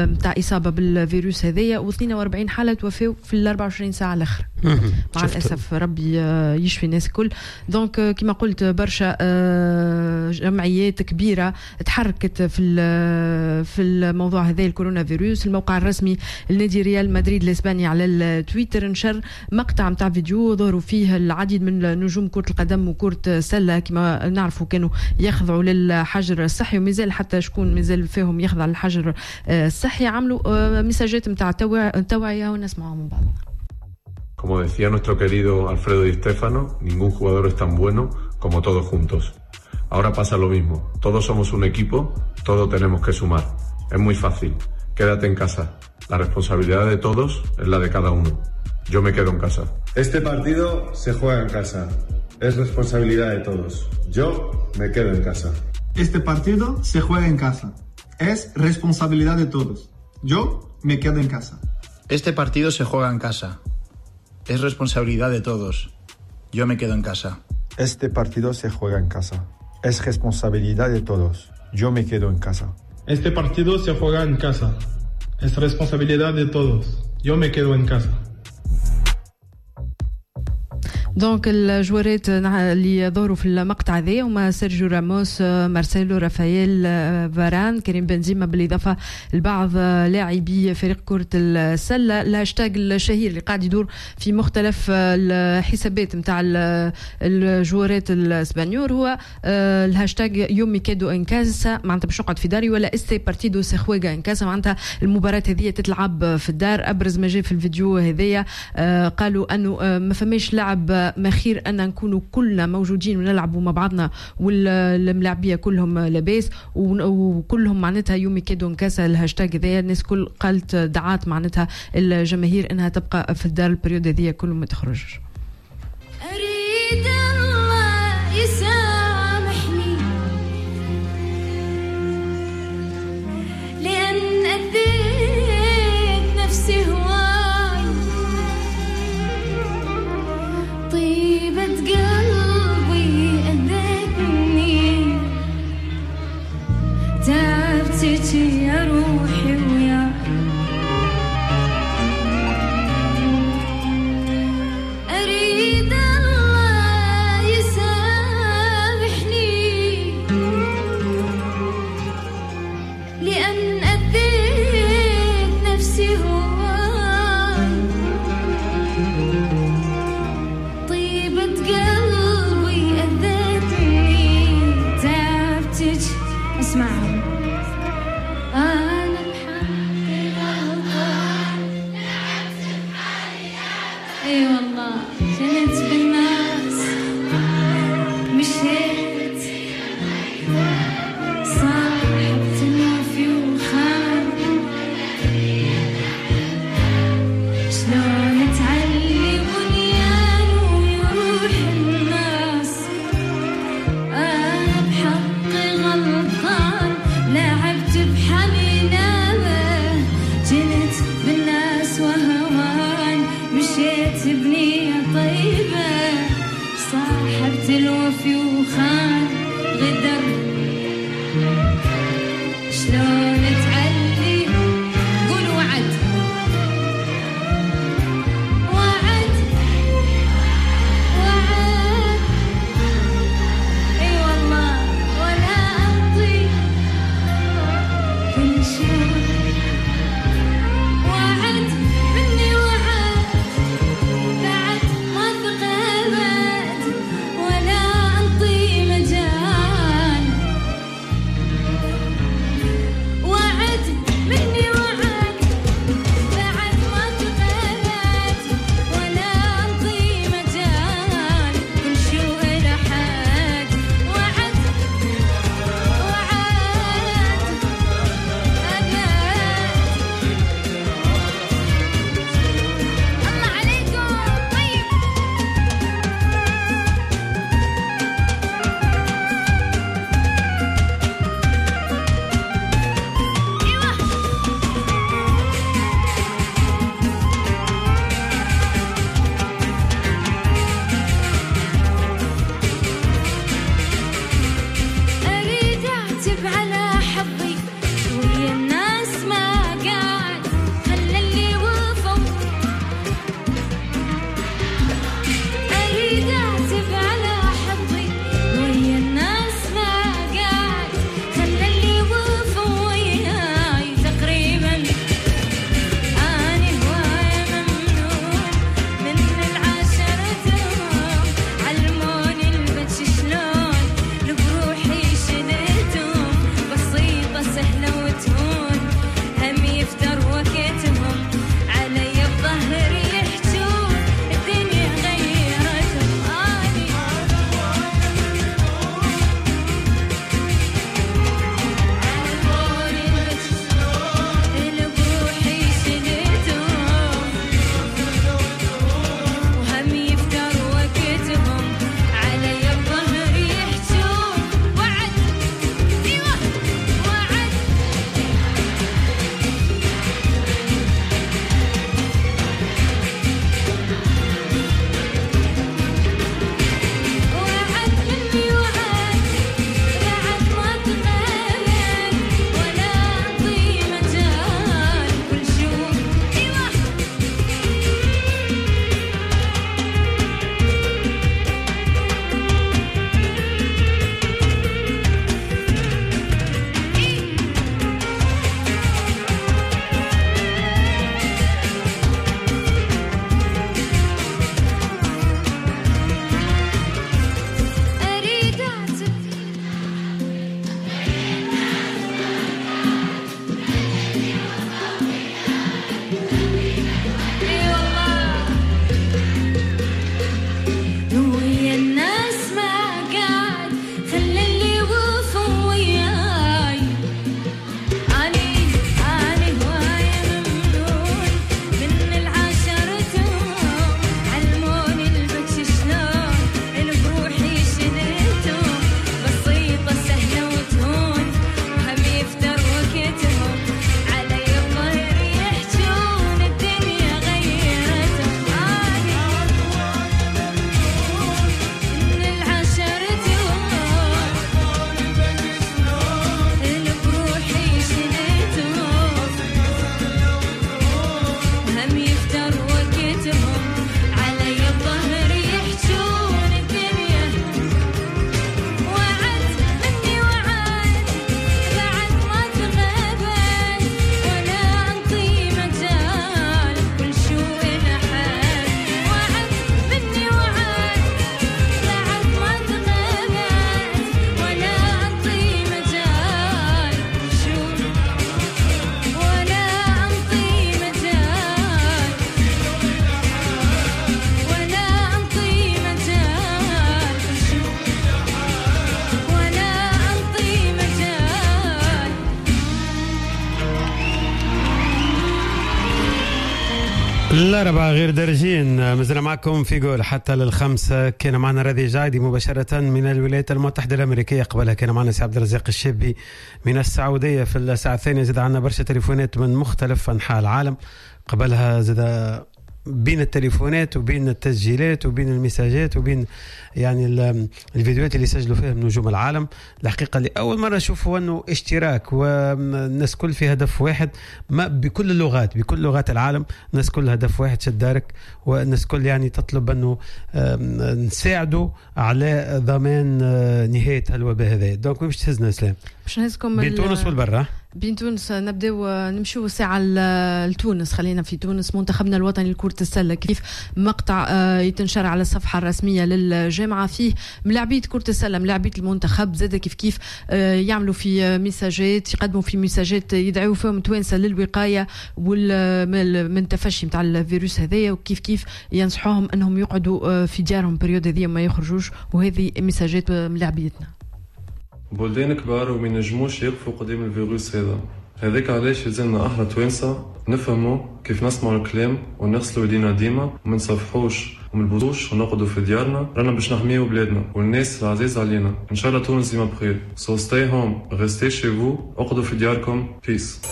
نتاع إصابة بالفيروس هذايا، واثنين وأربعين حالة توفوا في ال أربعة وعشرين ساعة الأخرى. مع الأسف ربي يشفي الناس الكل. donc كما قلت برشا جمعيات كبيرة تحركت في في الموضوع هذا الكورونا فيروس. الموقع الرسمي لنادي ريال مدريد الاسباني على التويتر نشر مقطع متاع فيديو ظهروا فيه العديد من نجوم كرة القدم وكرة السلة كما نعرفوا كانوا يخضعوا للحجر الصحي، ومازال حتى شكون مازال فيهم يخضع للحجر الصحي. عملوا ميساجات متاع توعية ونسمعهم من بعض. Como decía nuestro querido Alfredo Di Stéfano, ningún jugador es tan bueno como todos juntos. Ahora pasa lo mismo. Todos somos un equipo, todos tenemos que sumar. Es muy fácil. Quédate en casa. La responsabilidad de todos es la de cada uno. Yo me quedo en casa. Este partido se juega en casa. Es responsabilidad de todos. Yo me quedo en casa. Este partido se juega en casa. Es responsabilidad de todos. Yo me quedo en casa. Este partido se juega en casa. Es responsabilidad de todos. Yo me quedo en casa. Este partido se juega en casa. Es responsabilidad de todos. Yo me quedo en casa. Este partido se juega en casa. Es responsabilidad de todos. Yo me quedo en casa. donc الجوارات اللي ظهروا في المقطع هذا هما سيرجيو راموس، مارسيلو، رافائيل فاران، كريم بنزيما، بالاضافة لبعض لاعبي فريق كره السلة. الهاشتاغ الشهير اللي قاعد يدور في مختلف الحسابات نتاع الجوارات الاسبانيور هو الهاشتاغ yo me quedo en casa، معناتها باش نقعد في داري، ولا este partido se juega en casa، معناتها المباراة هذه تتلعب في الدار. ابرز ما جاء في الفيديو هذايا قالوا انه ما فماش لعب ما خير ان نكونوا كلنا موجودين ونلعبوا مع بعضنا والملاعبيه كلهم لاباس وكلهم معناتها yo me quedo en casa. الهاشتاغ هذايا الناس كل قالت دعات معناتها الجماهير انها تبقى في الدار ال période هذيا كل ما تخرجش. اريد الله يسامحني لان اذيت نفسي هواي، طيبة قلبي أذتني، تعبتك يا روحي ويا أريد الله يسامحني لأن أذيت نفسي هواي، طيبة قلبي أذتني، تعبتك. اسمعوا أنا بحقي غلطان، لعبت بحالي لعبة، اي والله كنت بالناس مشيت صاحبت الوفي وخان، شلون تعلي بنيان ويروح الناس، أنا بحقي غلطان، لعبت بحالي لعبة، جنت بالناس وهوان، مشيت بنية طيبة، صاحبت الوفي وخان غدر، شلون تعلي قول وعد وعد الأربعة غير درجين، مازلنا معكم في جول حتى للخمسة. كان معنا راضي جعيدي مباشرة من الولايات المتحدة الأمريكية، قبلها كان معنا سي عبد الرزاق الشابي من السعودية. في الساعة الثانية زاد عندنا برشا تليفونات من مختلف أنحاء العالم، قبلها زاد بين التليفونات وبين التسجيلات وبين المساجات وبين يعني الفيديوهات اللي سجلوا فيها نجوم العالم. الحقيقة اللي أول مرة أشوفوا أنه اشتراك والناس كل في هدف واحد، ما بكل اللغات، بكل لغات العالم الناس كل هدف واحد، شد دارك، والناس كل يعني تطلب أنه نساعدوا على ضمان نهاية الوباء هذا. donc باش تهزنا اسلام؟ باش نهزكم بين تونس والبرة. بين تونس نبداو نمشيو ساعة لتونس، خلينا في تونس. منتخبنا الوطني لكرة السلة كيف مقطع يتنشر على الصفحة الرسمية للجامعة فيه ملاعبية كرة السلة، ملاعبية المنتخب زاد كيف كيف يعملوا في ميساجات، يقدموا في ميساجات يدعوا فيهم توانسة للوقاية من تفشي نتاع الفيروس هذايا، وكيف كيف ينصحوهم انهم يقعدوا في ديارهم période هذه ما يخرجوش. وهذه ميساجات ملاعبيتنا. بلدان كبار وما ينجموش يقفوا قدام الفيروس هذا، هذاك علاش لازمنا احنا توانسة نفهموا كيف نسمعوا الكلام ونغسلوا يدينا ديما وما نصفحوش وما نبوسوش ونقعدوا في ديارنا، رانا باش نحميو بلادنا والناس العزيزة علينا. ان شاء الله تونس ديما بخير. So stay home, restez chez vous، اقعدوا في دياركم. Peace.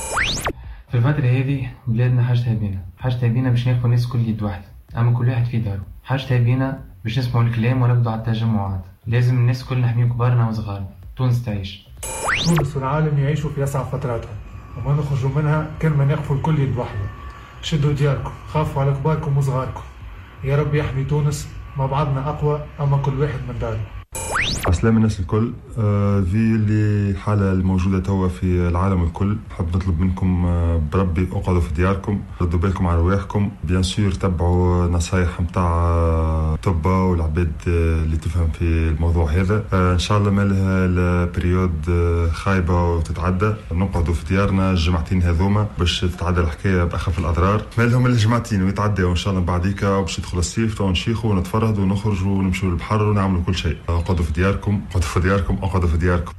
في الفترة هذه بلادنا حاجتها بينا، حاجتها بينا باش ناخذ الناس كل يد واحدة، اما كل واحد في داره. حاجتها بينا باش نسمعوا الكلام ونبدو على التجمعات. لازم الناس كل نحميو كبارنا وصغارنا. تونس تعيش. تونس والعالم يعيشوا في أصعب فتراتهم وما نخرجوا منها كان ما نقفوا الكل يد واحدة. شدوا دياركم، خافوا على كباركم وصغاركم. يا رب يحمي تونس، مع بعضنا أقوى، أما كل واحد من داره. عسلامة الناس الكل. في اللي حالة الموجودة توا في العالم الكل، حاب نطلب منكم بربي اقعدوا في دياركم، ردوا بالكم على رواحكم، bien sûr تبعوا نصايح نتاع طبة والعباد اللي تفهم في الموضوع هذا. ان شاء الله مالها ال période خايبة وتتعدى، نقعدوا في ديارنا الجمعتين هذوما باش تتعدى الحكاية بأخف الأضرار. مالهم الجمعتين ويتعدى وان شاء الله بعديك باش يدخل الصيف تو نشيخوا ونتفرهدوا ونخرجوا ونمشوا للبحر ونعملوا كل شيء. اقعدوا في دياركم، اقعدوا في دياركم، اقعدوا في دياركم.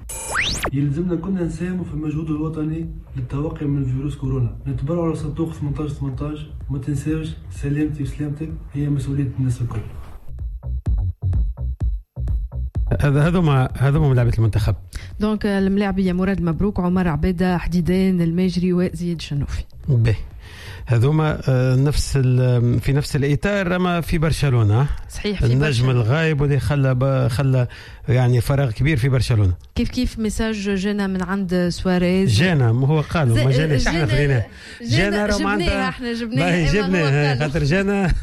يلزمنا كنا نساهموا في المجهود الوطني للتوقي من فيروس كورونا، نتبرعوا على صندوق ثمانية عشر ثمانية عشر، وما تنساوش سلامتي وسلامتك هي مسؤولية الناس الكل. هذا هذوما هذوما ملاعبية المنتخب. donc الملاعبية مراد مبروك، عمر عبيدة، حديدان الماجري، وزياد شنوفي. باهي. هذوما نفس في نفس الاطار اما في برشلونة. صحيح، في النجم برشلونة. الغايب واللي خلى خلى يعني فراغ كبير في برشلونة. كيف كيف message جانا من عند سواريز. جانا، ما هو قالوا ما جاناش، احنا خليناه جانا، راه معناتها احنا جبناه، جبناه خاطر جانا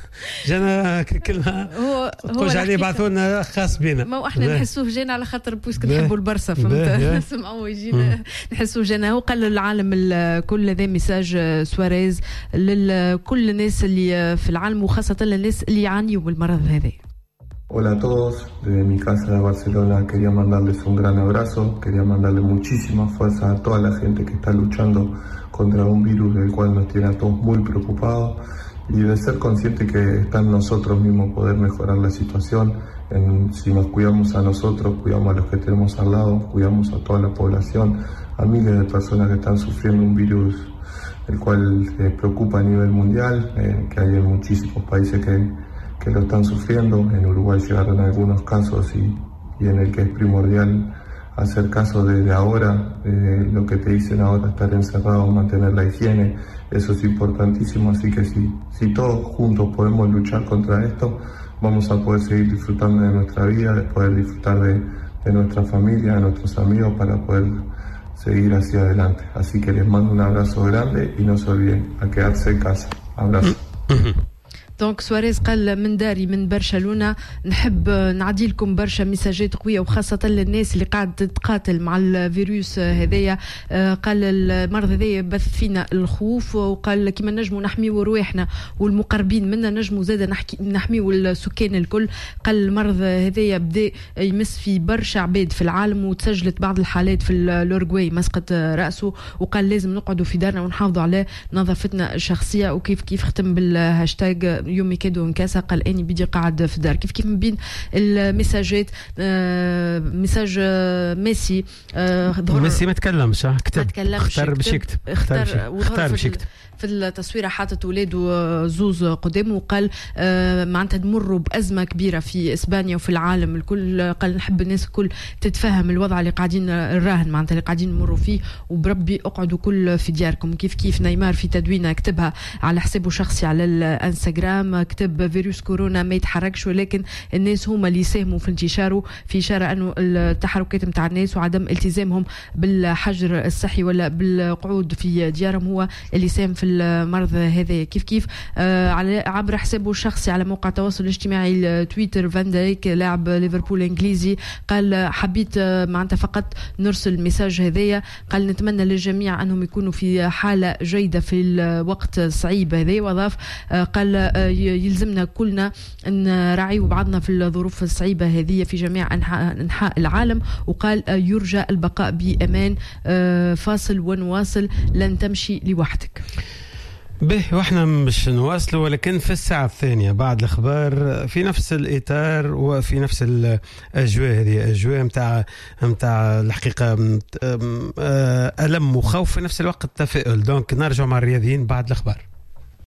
جانا كلمة هو تقولش عليه بعثوا لنا خاص بينا. ما احنا نحسوه جانا على خاطر puisque نحبوا البرسا، فهمت؟ نسمعوا يجينا نحسوه جانا. هو قال للعالم الكل هذا message سواريز لكل الناس اللي في العالم وخاصة للناس اللي يعانيوا من المرض هذا. Hola a todos, desde mi casa de Barcelona quería mandarles un gran abrazo, quería mandarle muchísima fuerza a toda la gente que está luchando contra un virus del cual nos tiene a todos muy preocupados y de ser consciente que está en nosotros mismos poder mejorar la situación. En, si nos cuidamos a nosotros, cuidamos a los que tenemos al lado, cuidamos a toda la población, a miles de personas que están sufriendo un virus el cual eh, preocupa a nivel mundial, eh, que hay en muchísimos países que, que lo están sufriendo. En Uruguay llegaron algunos casos y, y en el que es primordial hacer caso desde ahora, eh, lo que te dicen ahora, estar encerrado, mantener la higiene, eso es importantísimo. Así que si, si todos juntos podemos luchar contra esto, vamos a poder seguir disfrutando de nuestra vida, de poder disfrutar de, de nuestra familia, de nuestros amigos, para poder seguir hacia adelante. Así que les mando un abrazo grande y no se olviden a quedarse en casa. Abrazo. donc سواريز قال من داري من برشلونة نحب نعدي لكم برشا ميساجات قوية وخاصة للناس اللي قاعد تتقاتل مع الفيروس هذايا. قال المرض هذايا بث فينا الخوف، وقال كيما نجموا نحميو رواحنا والمقربين منا نجموا زاده نحكي نحميو السكان الكل. قال المرض هذايا بدا يمس في برشا عباد في العالم وتسجلت بعض الحالات في الأورجواي مسقط رأسه، وقال لازم نقعدوا في دارنا ونحافظوا على نظافتنا الشخصية. وكيف كيف ختم بالهاشتاج yo me quedo en casa، قال اني بدي قاعد في الدار. كيف كيف من بين المساجات message ميسي. ميسي ما تكلمش، كتب، ما تكلمش، اختار باش يكتب، اختار اختار باش يكتب في التصويره، حاطط ولاده زوز قدامه وقال معناتها تمروا بازمه كبيرة في اسبانيا وفي العالم الكل، قال نحب الناس الكل تتفهم الوضع اللي قاعدين الراهن معناتها اللي قاعدين نمروا فيه، وبربي اقعدوا كل في دياركم. كيف كيف نيمار في تدوينه كتبها على حسابه الشخصي على الانستغرام، كتب فيروس كورونا ما يتحركش ولكن الناس هما اللي يساهموا في انتشاره، في اشارة انه التحركات نتاع الناس وعدم التزامهم بالحجر الصحي ولا بالقعود في ديارهم هو اللي ساهم في المرض هذا. كيف كيف آه على عبر حسابه الشخصي على موقع التواصل الاجتماعي تويتر، فان دايك لاعب ليفربول الانجليزي قال حبيت معناتها فقط نرسل message هذايا، قال نتمنى للجميع انهم يكونوا في حاله جيدة في الوقت الصعيب هذا، واضاف قال يلزمنا كلنا نراعيو بعضنا في الظروف الصعيبه هذه في جميع انحاء العالم، وقال يرجى البقاء بامان، فاصل ونواصل، لن تمشي لوحدك. به واحنا مش نواصلوا، ولكن في الساعة الثانية بعد الأخبار في نفس الإطار وفي نفس الأجواء هذه، أجواء متاع متاع الحقيقة ألم وخوف في نفس الوقت تفاؤل. donc نرجع مع الرياضيين بعد الأخبار.